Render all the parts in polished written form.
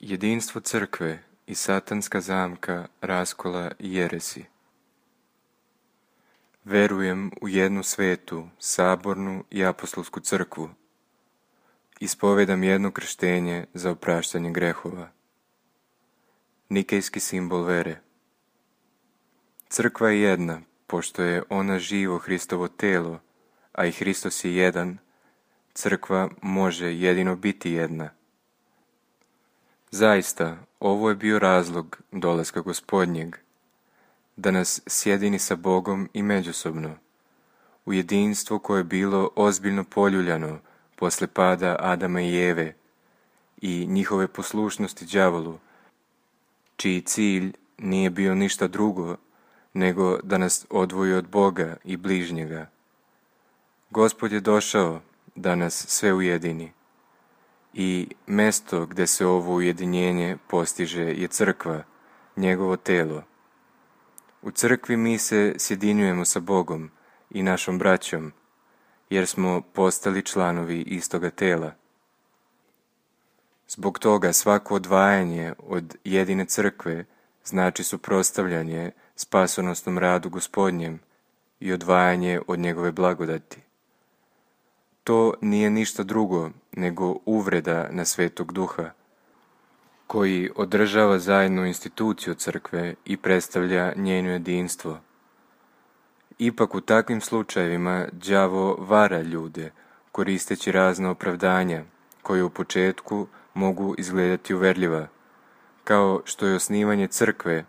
Jedinstvo crkve i satanska zamka raskola i jeresi. Verujem u jednu svetu, sabornu i apostolsku crkvu. Ispovedam jedno krštenje za opraštanje grehova. Nikejski simbol vere. Crkva je jedna, pošto je ona živo Hristovo telo, a i Hristos je jedan, crkva može jedino biti jedna. Zaista, ovo je bio razlog dolaska Gospodnjeg, da nas sjedini sa Bogom i međusobno, u jedinstvo koje je bilo ozbiljno poljuljano posle pada Adama i Eve i njihove poslušnosti đavolu, čiji cilj nije bio ništa drugo nego da nas odvoji od Boga i bližnjega. Gospod je došao da nas sve ujedini. I mesto gdje se ovo ujedinjenje postiže je crkva, njegovo telo. U crkvi mi se sjedinjujemo sa Bogom i našom braćom, jer smo postali članovi istoga tela. Zbog toga svako odvajanje od jedine crkve znači suprotstavljanje spasonosnom radu Gospodnjem i odvajanje od njegove blagodati. To nije ništa drugo nego uvreda na Svetog Duha, koji održava zajedno instituciju crkve i predstavlja njeno jedinstvo. Ipak u takvim slučajevima đavo vara ljude, koristeći razna opravdanja, koje u početku mogu izgledati uverljiva, kao što je osnivanje crkve,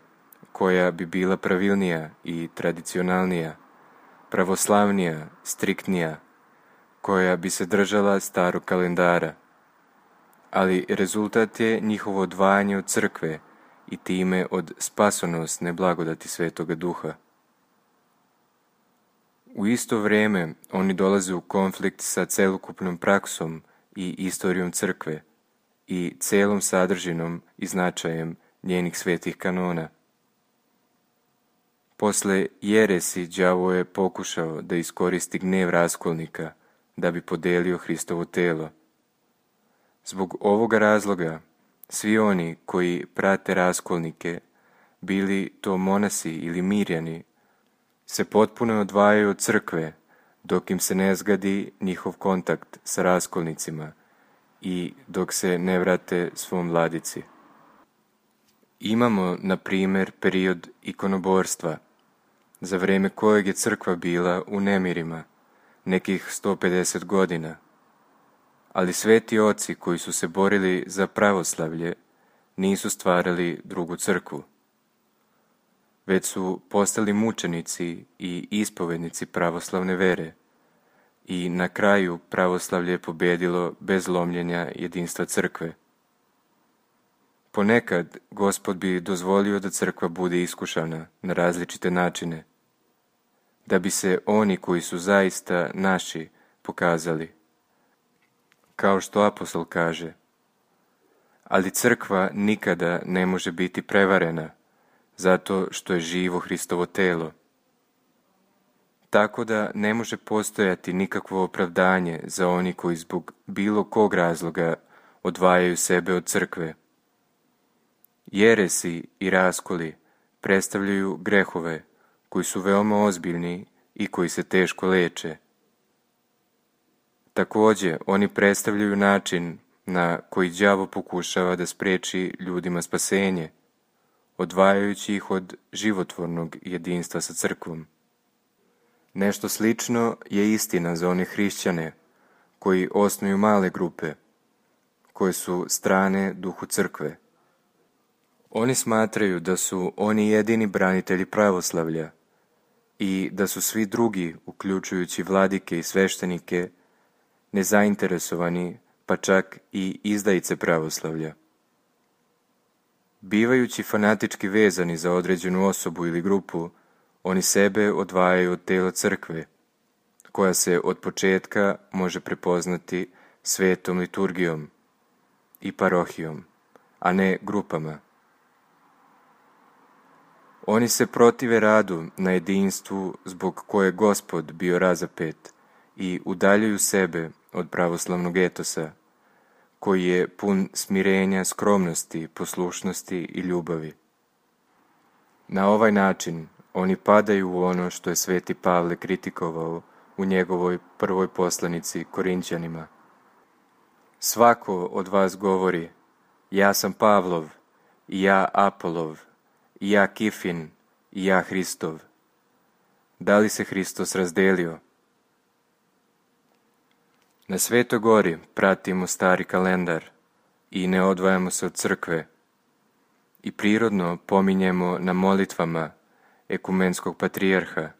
koja bi bila pravilnija i tradicionalnija, pravoslavnija, striktnija, koja bi se držala starog kalendara. Ali rezultat je njihovo odvajanje od crkve i time od spasonosne blagodati Svetoga Duha. U isto vrijeme oni dolaze u konflikt sa celokupnom praksom i istorijom crkve i celom sadržinom i značajem njenih svetih kanona. Posle jeresi đavo je pokušao da iskoristi gnjev raskolnika da bi podelio Hristovo telo. Zbog ovoga razloga, svi oni koji prate raskolnike, bili to monasi ili mirjani, se potpuno odvajaju od crkve, dok im se ne zgadi njihov kontakt sa raskolnicima i dok se ne vrate svom vladici. Imamo, na primjer, period ikonoborstva, za vrijeme kojeg je crkva bila u nemirima, nekih 150 godina. Ali sveti oci koji su se borili za pravoslavlje nisu stvarali drugu crkvu, već su postali mučenici i ispovednici pravoslavne vere i na kraju pravoslavlje je pobjedilo bez lomljenja jedinstva crkve. Ponekad Gospod bi dozvolio da crkva bude iskušana na različite načine, da bi se oni koji su zaista naši pokazali. Kao što apostol kaže, ali crkva nikada ne može biti prevarena, zato što je živo Hristovo telo. Tako da ne može postojati nikakvo opravdanje za oni koji zbog bilo kog razloga odvajaju sebe od crkve. Jeresi i raskoli predstavljaju grehove koji su veoma ozbiljni i koji se teško leče. Također, oni predstavljaju način na koji đavo pokušava da spriječi ljudima spasenje, odvajajući ih od životvornog jedinstva sa crkvom. Nešto slično je istina za one hrišćane koji osnuju male grupe, koje su strane duhu crkve. Oni smatraju da su oni jedini branitelji pravoslavlja i da su svi drugi, uključujući vladike i sveštenike, nezainteresovani, pa čak i izdajice pravoslavlja. Bivajući fanatički vezani za određenu osobu ili grupu, oni sebe odvajaju od tela crkve, koja se od početka može prepoznati svetom liturgijom i parohijom, a ne grupama. Oni se protive radu na jedinstvu zbog koje je Gospod bio razapet i udaljuju sebe od pravoslavnog etosa, koji je pun smirenja, skromnosti, poslušnosti i ljubavi. Na ovaj način oni padaju u ono što je sveti Pavle kritikovao u njegovoj prvoj poslanici Korinćanima. Svako od vas govori, ja sam Pavlov, i ja Apolov, i ja Kifin, i ja Hristov. Da li se Hristos razdelio? Na Svetoj gori pratimo stari kalendar i ne odvajamo se od crkve i prirodno pominjemo na molitvama ekumenskog patrijarha,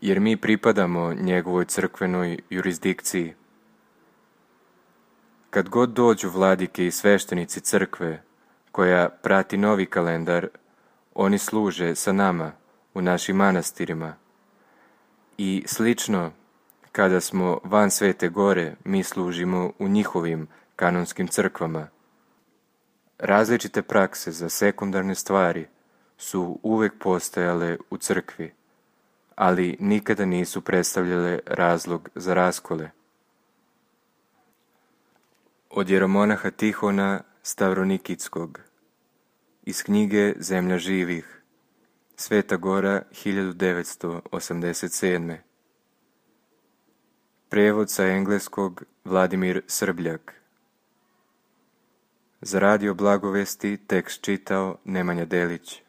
jer mi pripadamo njegovoj crkvenoj jurisdikciji. Kad god dođu vladike i sveštenici crkve koja prati novi kalendar, oni služe sa nama u našim manastirima i slično kada smo van Svete gore, mi služimo u njihovim kanonskim crkvama. Različite prakse za sekundarne stvari su uvek postojale u crkvi, ali nikada nisu predstavljale razlog za raskole. Od jeromonaha Tihona Stavronikitskog iz knjige Zemlja živih, Sveta Gora, 1987. Prevod sa engleskog Vladimir Srbljak. Za Radio Blagovesti tekst čitao Nemanja Delić.